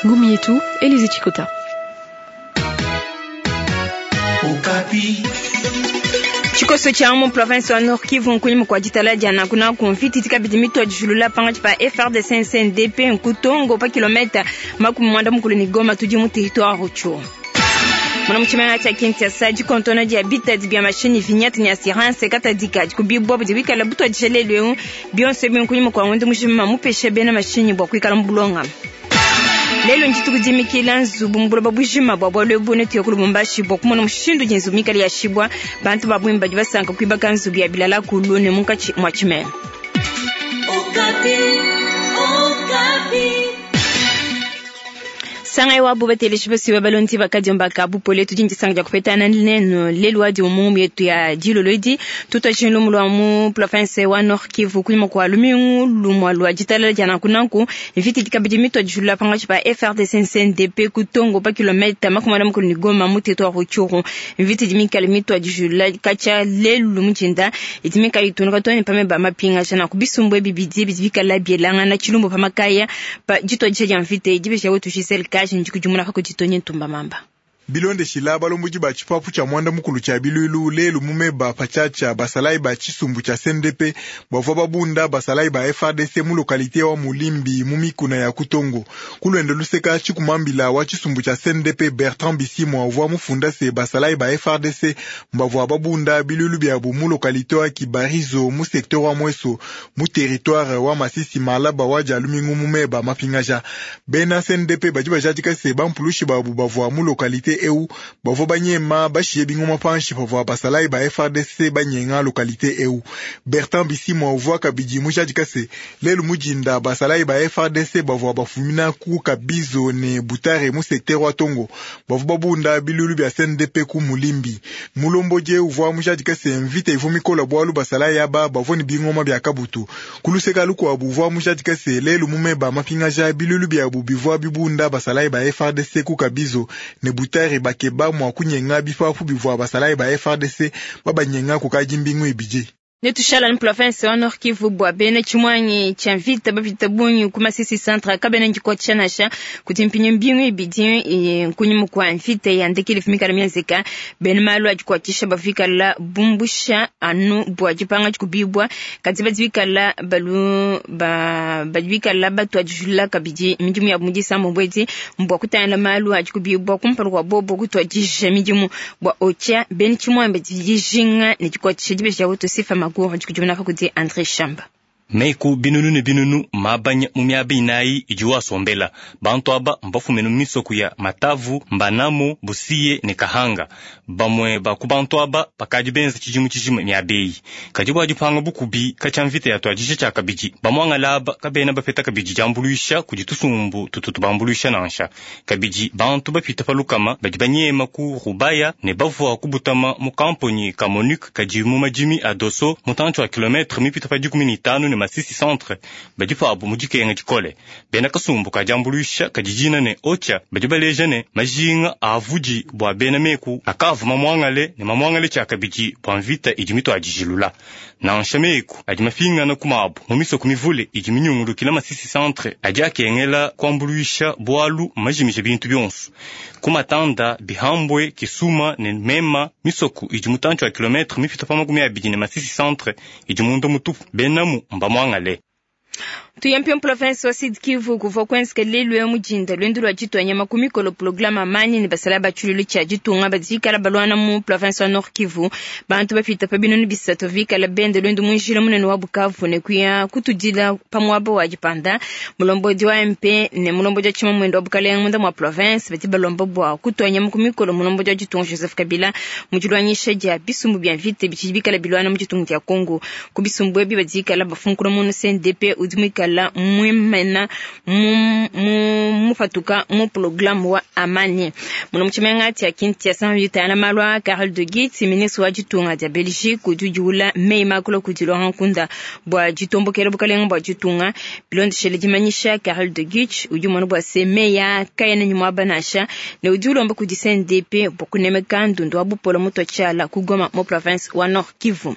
Ngumu yetu, Elise Chikota. Tshikoso tshia mu province wa Nord Kivu nkunyima kua ditala dia nanku nanku mvita idi kabidi mitua dijulula pangatshi pa FARDC CNDP nkutongo pa kilometa 40 ne Goma tudi mu territoire Rutshuru. Muna mu tshimenga tshia Kinshasa dikontona dia bitadi bia mashinyi vignette ne assurance katadika dikubibua budi bikala butuadija lelu eu bionso ebi nkunyima kua ngondo mujima mupesha bena mashinyi bua kuikala mu bulongame. Lelu ndituku dimikila nzubu mu buloba bujima bua bualu ebu netuye ku Lubumbashi bua kumona mushindu udi nzubu mikale yashibua. Bantu ba bungi badi basanka kuibaka nzubu ya bilala kulu ne munkatshi mua tshimenga. Sangai wa bateleji basiwe balondi bakadiomba ka bupole tudi ndisanka dia kupetana nenu lelu wadi mu yetu ya dilolo edi tutwa lumu lwa mu province wa Nord Kivu kunyima kua lumingu lumua lua ditalala dia nanku nanku mvita idi kabidi mitua dijulula pangatshi pa FARDC CNDP kutongo pa kilometa 40 ne Goma mu territoire Rutshuru. Mvita idi mikale mitua dijulula katshia lelu mujinda idi mikale itunuka too ne pameba mapingaja nanku bisumbu ebi bidi bidi bikala bielangana tshilumbu pa makaya pa dituadija dia mvita idi besha wetu Giselle Kaji ndikudimuna kakuditonye ntumba mamba. Bilondeshila balomboji ba tshipapu tshia mwanda mukulu tshia bilulu lelu mumeba patshiatshia basalayi ba tshisumbu tshia CNDP bavua babunda basalayi ba FARDC mu localité wa Mulimbi mu mikuna ya Kutongo. Kulwende luseka tshikumambila wa tshisumbu tshia CNDP Bertrand Bisimwa uvua mufunda se basalayi ba FARDC bavua babunda bilulu biabu mu localité wa Kibarizo mu secteur wa Mweso mu territoire wa Masisi Malaba wa Dialumingu mumeba mapingaja. Bena CNDP badi bajadika se bampulushi babu bavua mu localité eu bavua banyema bashiye bingoma panshi pavua basalayi ba FARDC banyenga localité eu. Bertrand Bisimwa uvua kabidi mujadika se lelu mujinda basalayi ba FARDC bavua bafumina ku Kabizo ne Butare mu secteur wa Tongo bavua babunda bilulu bia CNDP ku Mulimbi. Mulomboje uvua mujadika se mvita ivua mikola bualu basalayi aba bavua ne bingoma bia kabutu. Kuluseka lukuabu uvua mujadika se lelu mumeba mapingaja bilulu biabu bivua bibunda basalayi ba FARDC ku Kabizo ne Butare bakeba mwa kunyenga bipapu bivua basalayi ba FARDC babanyenga kukadi mbingu ibidi. Netushala ni province wa Nord Kivu bua bena tshimwanyi tshia mvita bapita bungi ku Masisi centre kabena ndikuatshisha nasha kuti mpinyo mbingu ibidi nkunyima kua mvita ya ndekeli fimikala mienzeka bena malu adikuatshisha bavikala bumbusha anu bua dipanga dikubibua kadi badibikala balu ba badibikala batu adijula kabidi midimu ya mudisa mbwedi mbua kutangila malu adikubibua kumpala kua bobo kutuadija midimu bua ocha bena tshimwanyi badijinga ne dikuatshisha dibesha wetu sifa magu kudi André Shamba. Meku binunu ne binunu mabanya mu miaba inayi idi wasombela bantu aba mbafumene mu misoko ya Matavu, Mbanamo, Busiye ne Kahanga. Bamue ba ku bantu aba bakadi benza tshidimu tshijima miaba eyi kadi bua dipanga bukubi katshia mvita ya tuadija tshia kabidi bamuangala aba kabena bapeta kabidi diambuluisha kudi tusumbu tutu tubambuluisha nansha. Kabidi bantu bapita pa lukama badi banyema ku Rubaya ne bavua kubutama mu kamponi ka MONUC kadi mu madimi a Doso mutantshi wa kilometre mipita pa 15 ne Masisi centre badi pabu mu dikenga dikole. Bena kasumbu kadiambuluisha kadijina ne ocha badi baleja ne majinga avudi bua bena meku akavu mamwangale ne mamwangale tshia kabidi bua mvita idi mituadijilula. Nansha meku adi mafingana ku mabu mu misoko mivule idi minyungulukila Masisi centre adi akengela kuambuluisha bualu majimisha bintu bionso ku Matanda, Bihambwe, Kisuma ne Mema. Misoko idi mutantshi wa kilometre mipita pa 20 ne Masisi centre idi munda mutupu benamu mbamwangale. Tuyempio province wa Sud Kivu kuvua kuenzeka lelu ya mujinda lwendo lwa ditwanya makumi kolo programa amani ne basala batshululu tshia ditunga badikala balwana mu province wa Nord Kivu. Bantu bapita pa binunu bisatu vikala bende lwendo munjila munene wa Bukavu ne kuya kutudila pa muaba wa dipanda. Mulombodi wa MP ne mulombodi wa tshima mwendo wa Bukalenga munda mwa province bati balomba bua kutwanya makumi kolo mulombodi wa ditunga Joseph Kabila mu dilwanyisha dia bisumbu bia mvita bitshidi bikala bilwana mu ditunga dia Congo. Ku bisumbu ebi badikala bafunkula mu CNDP udi mwikala muikala muimena mupatuka mu programme wa amani. Muno mu tshimenga tshia Kinshasa bitala malu a Karel de Gucht, ministre wa ditunga dia Belgique, udi udiula meyi makula kudi Laurent Nkunda bua ditombokela bukalenga bua ditunga. Bilondeshele dimanyisha Karel de Gucht udi umona bua se meyi a kayena ne muaba nansha, ne udi ulomba kudi CNDP bua kunemeka ndundu wa bupole mutua tshiala ku Goma mu province wa Nord Kivu.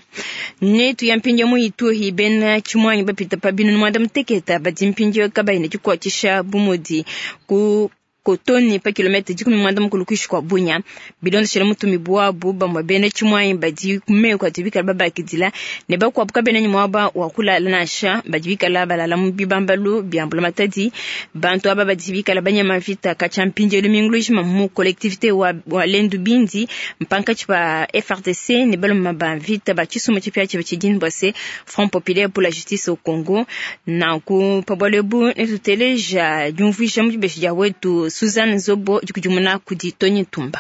Ne tuya mpindieu mu Ituri, bena tshimuangi bapita pa binunu muanda mutekete badi mpindieu kabayi ne dikuatshisha bu mudi ku Kotoni pa kilomètre 15 kuishi kwa Bunia. Bilondeshele mutumi bwabu bamwe bena tshimuangi badi ku meku adi bikala babakidila ne bakuabu kabena ne muaba wa kulala nansha, badi bikala balala mu bibambalu bia mbulamatadi. Bantu aba badi bikala banyama vita katshia mpindieu lumingu lujima mu collectivité wa Lendu Bindi mpankatshi pa FARDC ne baluma ba vita ba tshisumbu tshipia tshia tshidini bua se Front Populaire pour la Justice au Congo. Nanku pa bualu ebu netuteleja diumvuija mu dibeji dia wetu Suzanne Zobo dikudimuna kudi Tony Tumba.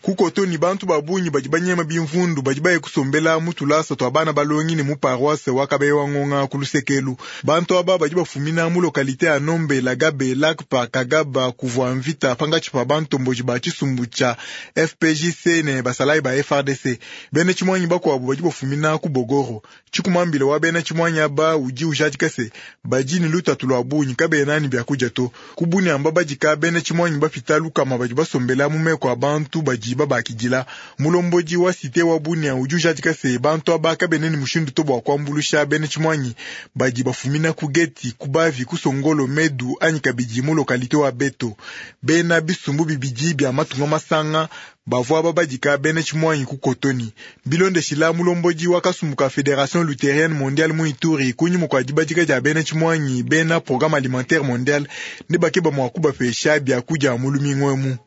Ku Kotoni bantu ba bungi badi banyema bimvundu badi baye kusombela mu tulasa tua bana balongi ne mu paroisse wa Kabeya Ngonga ku Lusekelu. Bantu aba badi bafumina mu localité ya Nombe, Lagabe, Lakpa, Kagaba, kuvua mvita pangatshi pa bantomboji ba tshisumbu tshia FPJC ne basalayi ba FARDC. Bena tshimuangi bakuabu badi bafumina ku Bogoro. Tshikumambila wa bena tshimuangi aba udi ujadika se badi ne lutatu lua bungi kabena ne biakudia to. Ku Bunia badika bena tshimuangi bapita lukama badi basombela mu meko a bantu badi babakidila. Mulombodi wa cité wa Bunia udi ujadika se bantu aba kabena ne mushindu to bua kuambuluisha bena tshimuangi badi bafumina ku Geti, ku Bavi, ku Songolo, Medu anyi kabidi mu localité wa Beto. Bena bisumbu bibidi bia matunga masanga bavua babadika bena tshimuangi ku Kotoni. Bilondeshila mulombodi wa kasumbu ka Fédération Luthérienne Mondiale mu Ituri kunyima kua dibadika dia bena tshimuangi bena Programme Alimentaire Mondial ne bakeba mua kubapesha biakudia mu lumingu emu.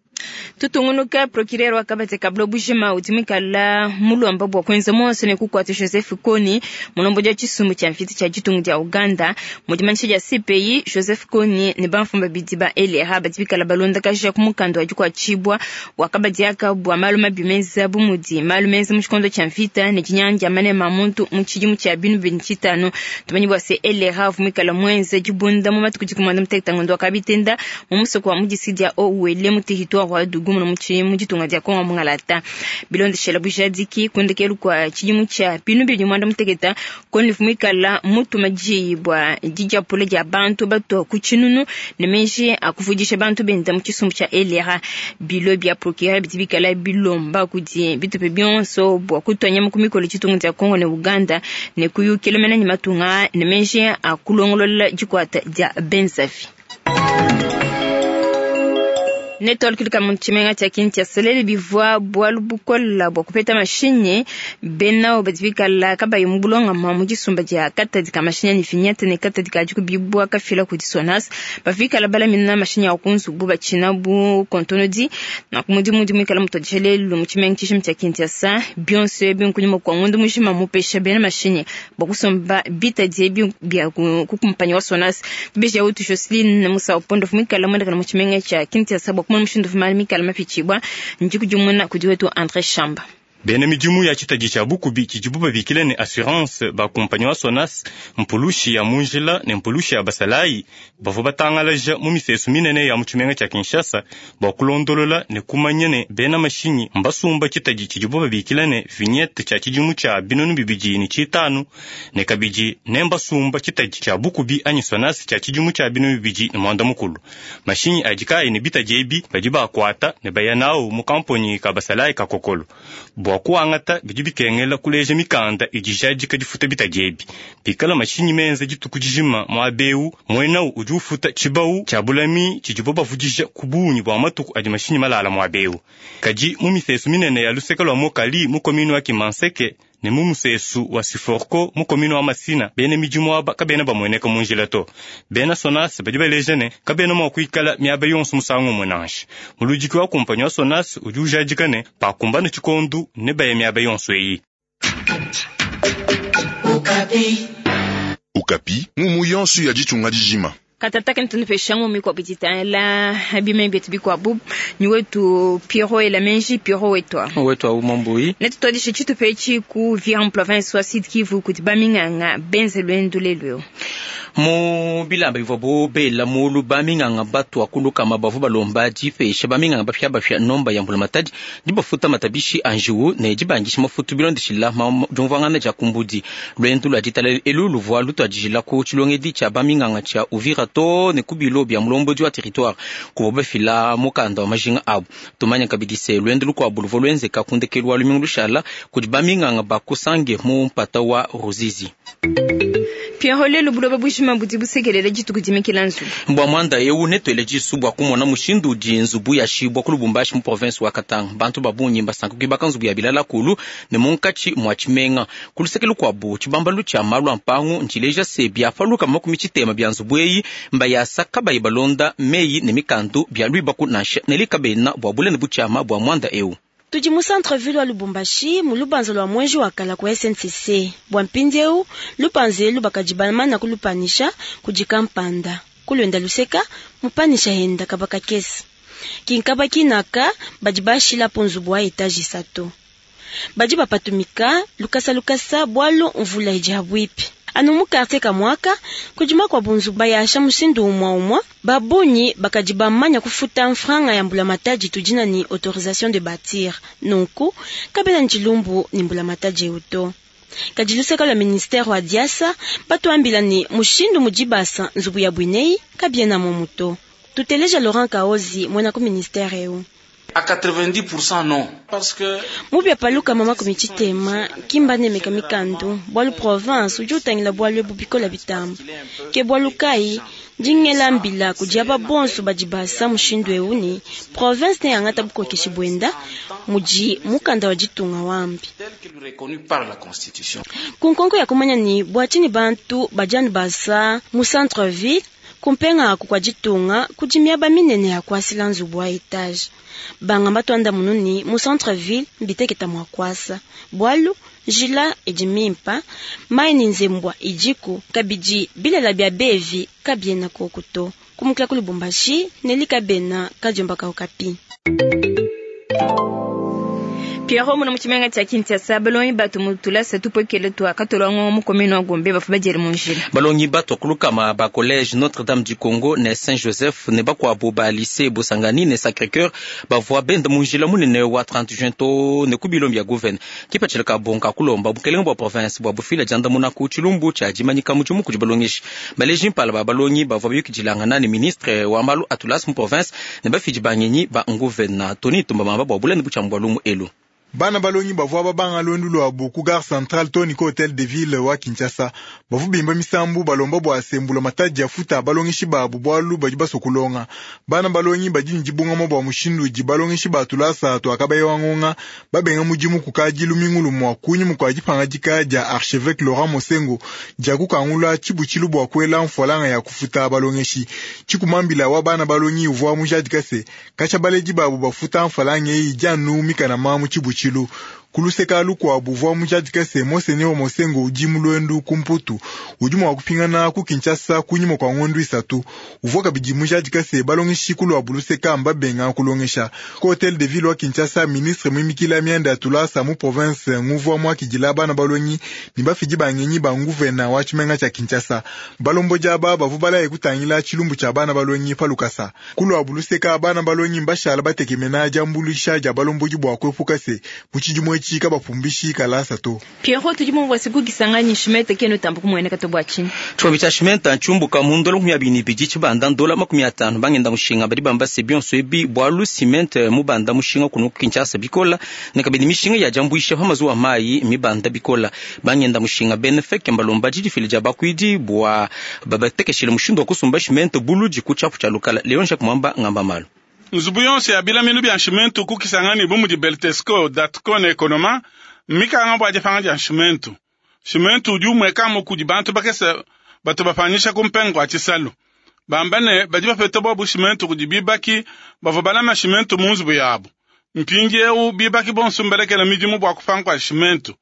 Tutungunuka procureur wa kabati kablo bujima udi muikala mulomba bua kuenza monso ne kukuata Joseph Kony mulombodi wa tshisumbu tshia mvita tshia ditunga dia Uganda. Mu dimanyisha dia CPI, Joseph Kony ne bamfumu babidi ba LRA badi bikala balondakaja ku mukanda wa dikuatshibua wa kabadi aka bua malu mabi menza bu mudi malu menza mu tshikondo tshia mvita ne dinyanga dia manema a muntu mu tshidimu tshia binu bibidi tshitanu. Tumanyi bua se LRA uvua muikala muenze dibunda mu matuku 16 ngondo wa kabitenda mu musoko wa mu district dia Haut-Uele mu territoire wa Djugu mu mu ditunga dia Kongo mungalata. Bilondeshela bujadiki kundekelu kwa tshidimu tshia binu bibidi muanda mutekete Kony muikala mutuma diyi bua didiapula dia bantu batua ku tshinunu ne meji a kuvudisha bantu benda mu tshisumbu tshia LRA. Bilo bia procureur bidi bikala bilomba kudi bitupe bionso bua kutua nyama ku mikolo ditunga dia Kongo ne Uganda ne kuyukila mena ne matunga ne meji a kulongolola dikuata dia benzavi. Netolkilika mu tshimenga tshia Kinshasa lelu bivua bualu bukola bua kupeta mashinyi bena badi bikala kabayi mu bulongama mu disumba dia katadi ka mashinyi ne vignette ne katadi ka dikubibua kafila kudi Sonas bafikala balamina mashinyi a ku nzubu batshina bu kontonodi na ku mudimu udi muikala mutodisha lelu mu tshimenga tshishima tshia Kinshasa bionso ebi nkunyima kua ngondo mujima mupesha bena mashinyi bua kusomba bitadi ebi bia ku kumpanyi wa Sonas. Tubeja wetu Jocelyn Musa Opondo muikala muendakana mu tshimenga tshia Kinshasa bua kumona mushindu vumali mikala mapitshibua ndikudimuna kudi wetu André Shamba. Bena midimu ya tshitadi tshia bukubi tshidibu babikila ne assurance ba kumpanyi wa Sonas mpulushi ya munjila ne mpulushi ya basalayi bavua batangalaja mu misesu minene ya mu tshimenga tshia Kinshasa bua kulondolola ne kumanya ne bena mashinyi mbasumba tshitadi tshidibu babikila ne vignette tshia tshidimu tshia 2005 ne kabidi ne mbasumba tshitadi tshia bukubi anyi Sonas tshia tshidimu tshia 2010. Mashinyi adi kayi ne bitadi ebi badi bakuata ne baya nawu mu kamponyi ka basalayi ka Kokolo. Bua kuangata bidi bikengela kuleja mikanda idi jadika difuta bitadi ebi. Pikala mashinyi menza dituku dijima muaba mwenau udi ufuta tshibau tshia bulami tshidibo bavudija ku bungi bua matuku adi mashinyi malala muaba eu. Kadi mu misesu minene ya luseke lua Mokali mu komini wa Kimanseke ne mu musesu wa Siforco mu komini wa Masina bena midimu aba kabena bamueneka mu njila to. Bena Sonas badi baleja ne kabena mua kuikala miaba yonso musangu umue nansha. Muludiki wa kumpanyi wa Sonas udi ujadika ne pakumbana tshikondu ne baya miaba yonso eyi. Okapi ngumu yonso ya ditunga dijima. Katataka ntunupeshango mikwabu ditala bime bietu bikwabu ni wetu Pierrot Elamenji Pierrot wetwa wetwa umambui netutwadishe tshitupa etshi ku Uvira province wa Sud Kivu kudi baminganga benze lwendo lelu. Mu bilamba bivuabu bela mulu, baminganga batua ku lukama bavua balomba dipesha baminganga bapiabapia nomba ya mbulamatadi, dibafuta matabishi a njiwu ne dibandisha mafutu bilondeshila diumvuangana dia ku mbudi. Luendu lua ditalala elu luvua lutuadijila ku tshilongedi tshia baminganga tshia Uvira too ne ku bilo bia mulombodi wa territoire kuvua bafila mukanda wa majinga abu. Tumanya kabidi se luendu lukuabu luvua luenzeka ku ndekelu wa lumingu lushala kudi baminganga ba ku Sange mu mpata wa Ruzizi. Pierrot, lelu buloba bujima budi busekelela dituku dimikila nzubu. Bua muanda eu netuele disu bua kumona mushindu udi nzubu yashibua ku Lubumbashi mu province wa Katanga. Bantu ba bungi mbasanka kuibaka nzubu ya bilala kulu ne munkatshi mua tshimenga. Ku luseke lukuabu, tshibambalu tshia malu a mpangu ntshileja se bia pa 60 bia nzubu eyi mbayasa kabayi balonda meyi ne mikandu bia luibaku nansha. Nelly Kabena bua bule ne butshiama bua muanda eu. Tudi mu centre-ville wa Lubumbashi, mu lubanza lua muenji wa kala ku SNCC. Bua mpindieu, lupanza elu bakadi bamana kulupanisha kudi kampanda. Ku luenda luseka, mupanisha henda kaba kakese. Kinkaba kinaka badi bashilapo nzubu wa etage isatu. Badi bapatumika lukasa lukasa bualu mvula idi habuipi. Anu mu quartier kamwaka kudi makuabu nzubu bayasha mushindu umua umua babunyi bakadi bamanya kufuta mfranga ya mbulamatadi tudina ni autorisation de bâtir. Nunku kabena ntshilumbu ni mbulamatadi eu to. Kadi luseka lua ministère wa diasa batuambila ni mushindu mudibasa nzubu ya bwineyi kabiena momu to. Tuteleja Laurent Kaozi mwena ku ministère eu. À 90% non. Parce que mubya paluka mama kumichitema kimba nemeka mikandu bwalu province udi utangila bwalu ebu bikola bitamba ke bwalu kai ndingela mbila kudiaba bonso badi basa mushindu eu ni province ne yangata bukokeshi bwenda mudi mukanda wa ditunga wambi tel que reconnu par la Constitution. Kunkonko ya kumanya ni bwatshini bantu badianu basa mu centre ville kumpenga aku kwa ditunga kudi miaba minene ya kuasila nzubu wa etage. Banga batwanda mununi mu centre ville mbiteketa mwa kuasa bwalu njila idi mimpa mai ni nzembwa idiku kabidi bilela bia bevi kabiena kokuto kumukila ku Lubumbashi Nelly Kabena kadiomba ka Okapi. Pierrot, muna mutshimenga tshia Kinshasa balongi batu mutulasa tupwekele tua katolwango mu commune wa Gombe bafu badiele mu njila. Balongi batu kulukama ba collège Notre-Dame du Congo ne Saint-Joseph ne bakuabu ba lycée Bosangani ne Sacré-Cœur bavua benda mu njila munene wa 30 juin to ne ku bilombi ya gouverne. Kipatshila ka bonka kulomba bukelenge bua province bua bufila diandamuna ku tshilumbu tshia dimanyika mudimu kudi balongeshi. Baleji mpala ba balongi bavua bayukidilangana ne ministre wa malu a tulasa mu province ne bafidi bangenyi ba nguvena Tony Tumba mamba bua bulene butshiambu bua lumu elu. Bana balongi bavua babanga lwendu lwabu ku gare centrale to ni ku hotel de ville wa Kinshasa. Bavu bimba misambu balomba bua asembula matadi ya futa balongeshi babu bwalu badi basua kulonga. Bana balongi badi ne dibungama bua mushindu udi balongeshi ba tulasa tuakabayewa ngonga babenga mudimu kukadi lumingu lumua kunyima kua dipangadika dia archevêque Laurent Mosengo dia kukangula tshibutshilu bua kuela mfualanga ya kufuta balongeshi. Tshikumambila wa bana balongi uvua mujadika se katshia baledi babu bafuta mfualanga eyi dianu mikana mu tshibutshilu. Kuluseka lukuabu uvua mujadika se Monseigneur Mosengo udi mu lwendu ku Mputu udi mua kupingana ku Kinshasa kunyima kua ngondu isatu. Uvua kabidi mujadika se balongeshi kuluabu luseka mbabenga kulongesha. Ku hotel de ville wa Kinshasa, ministre muimikila mianda ya tulasa mu province nguvua muakidila bana balongi ne bafidi bangenyi ba nguvena wa tshimenga tshia Kinshasa. Balomboji aba bavua balaye kutangila tshilumbu tshia bana balongi pa lukasa. Kuluabu luseka bana balongi mbashala batekemena diambuluisha dia balomboji bua kuepuka se mu tshidimu etshi kabapumbishi kalasa to. Pierrot, tudi mumvua siku kisangani shimete kenu tambu kumueneka to bua tshinyi. Tshombi tshia shimenta ntshiumbuka mu ndola 22 tshibanda ndola 50 bangenda mushinga badi bamba se bionso ebi bualu ciment mubanda mushinga kunu Kinshasa bikola ne kabidi mishinga ya diambuisha pa mazuwa mayi mibanda bikola. Bangenda mushinga benefeke mbalomba didifile dia bakuidi bua babatekeshile mushindu wa kusumba ciment buludi ku tshiapu tshia lukala. Leon Jacques Mwamba ngamba malu. Nzubu yonso ya bilaminu bia nshimentu kukisangani bu mudi Beltesco, Datco ne Economa mmikanga bua dipanga dia nshimentu. Nshimentu udi umuekamu kudi bantu bakese batu bapanyisha ku mpengo wa tshisalu. Bamba ne badi bapeta bobu shimentu kudi bibaki bavua balama shimentu mu nzubu yabu. Mpindiewu bibaki bonso mbalekela midimu bua kupanga kua shimentu.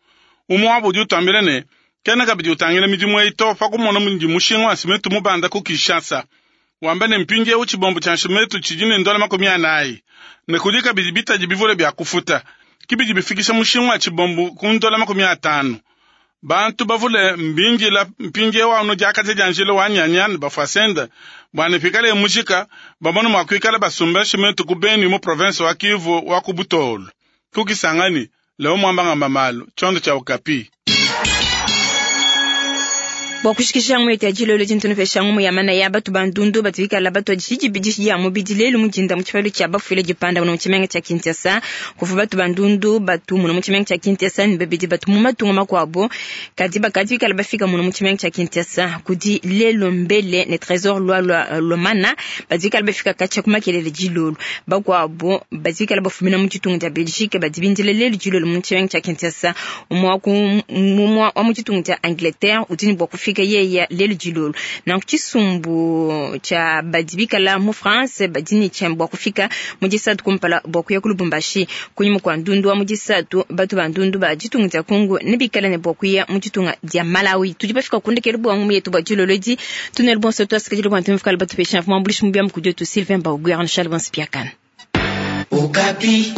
Umue wabu udi utambila ne kena kabidi utangila midimu eyi to pa kumona mudi mushinga wa simentu mubanda ku Kinshasa. Wamba ne mpindiewu tshibombo tshia nshimentu tshidi ne ndola 40 ne kudi kabidi bitadi bivule bia kufuta kibidi bifikisha mushinga wa tshibombo ku ndola 50. Bantu bavule mbindila mpindiewu anu diakaja dia njila wa Nyanya ne Bafwasende bua ne pikale mujika bamone mua kuikala basumba tshimentu ku Beni mu province wa Kivu wa ku Butolu. Ku Kisangani, Leo Mwamba ngamba malu, tshiondo tshia Okapi. Bua kushikisha ngumu yetu ya dilolo dintu nupesha ngumu ya mana ya batu ba ndundu batu bikala batua didibidishi dia mubidi lelu mu dinda mu tshipalu tshia bafuile dipanda muno mu tshimenga tshia Kinshasa. Kuvua batu ba ndundu batu muno mu tshimenga tshia Kinshasa ne babidi batu mu matunga makuabu kadi bakadi bikala bafika muno mu tshimenga tshia Kinshasa kudi lelo mbele ne Tresor Lwalwa Lomana badi bikala bafika katshia ku makelele dilolo. Bakuabu badi bikala bafumina mu ditunga dia Belgique badi bindile lelu dilolo mu tshimenga tshia Kinshasa. Umue wa ku mumua wa mu ditunga dia Angleterre udi ne bua kufika yeye lelu dilolo. Nanku tshisumbu tshia badi bikala mu France badi ne tshia bua kufika mu disatu kumpala bua kuya ku Lubumbashi. Kunyima kua ndundu wa mu disatu, batu ba ndundu ba ditunga dia Congo ne bikala ne bua kuya mu ditunga dia Malawi. Tudi bafika ku ndekelu bua ngumu yetu bua dilolo edi. Tunelu bonso tuasikadile bua ntumvikala batupesha mvua muambuluishi mubi wa mukudi wetu Sylvain Baugouer, Charles Bonspiakane. Okapi.